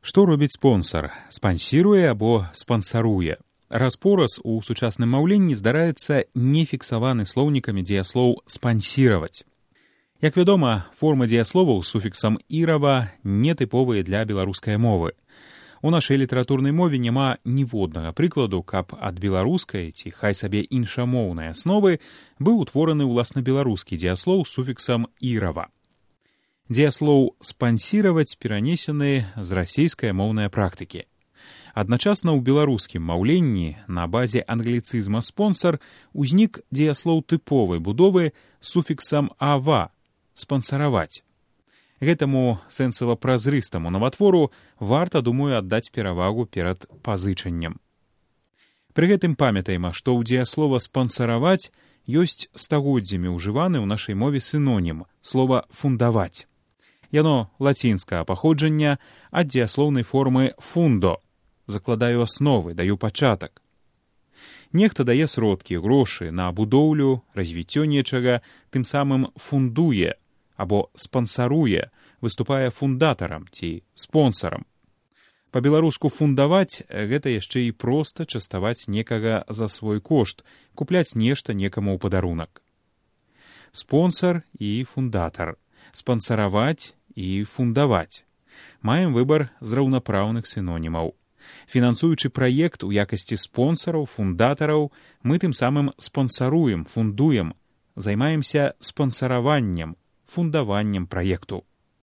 Што робіць спонсар? Спансіруе або спансаруе? Распораз у сучасным маўленні здараецца нефіксаваны слоўнікамі дзеяслоў спансіраваць. Як вядома, формы дзеясловаў з суфіксам «ірава» нетыповыя для беларускай мовы. У нашай літаратурнай мове няма ніводнага прыкладу, каб ад беларускай ці хай сабе іншамоўнай асновы быў утвораны ўласна беларускі дзеяслоў з суфіксам «ірава». Дзеяслоў «спансіраваць» перанесены з расейскай моўнай практыкі. Адначасна ў беларускім маўленні на базе англіцызма «спонсар» узнік дзеяслоў тыповай будовы з суфіксам «ава» – «спансараваць». Гэтаму сэнсава-празрыстаму наватвору варта, думаю, аддаць перавагу перад пазычаннем. Пры гэтым памятаем, што ў дзеяслова «спансараваць» ёсць стагоддзямі ўжываны ў нашай мове сінонім – слова «фундаваць». Яно лацінскага паходжання ад дзеяслоўнай формы «фундо» – закладаю асновы, даю пачатак. Нехта дае сродкі, грошы на будоўлю, развіццё нечага, тым самым фундуе або спансаруе, выступае фундатарам ці спонсарам. Па-беларуску фундаваць – гэта яшчэ і проста частаваць некага за свой кошт, купляць нешта некаму ў падарунак. Спонсар і фундатар, спансараваць і фундаваць. Маем выбар з раўнапраўных сінонімаў. Фінансуючы праект у якасці спонсараў, фундатараў, мы тым самым спансаруем, фундуем, займаемся спансараваннем, фундаваннем праекту.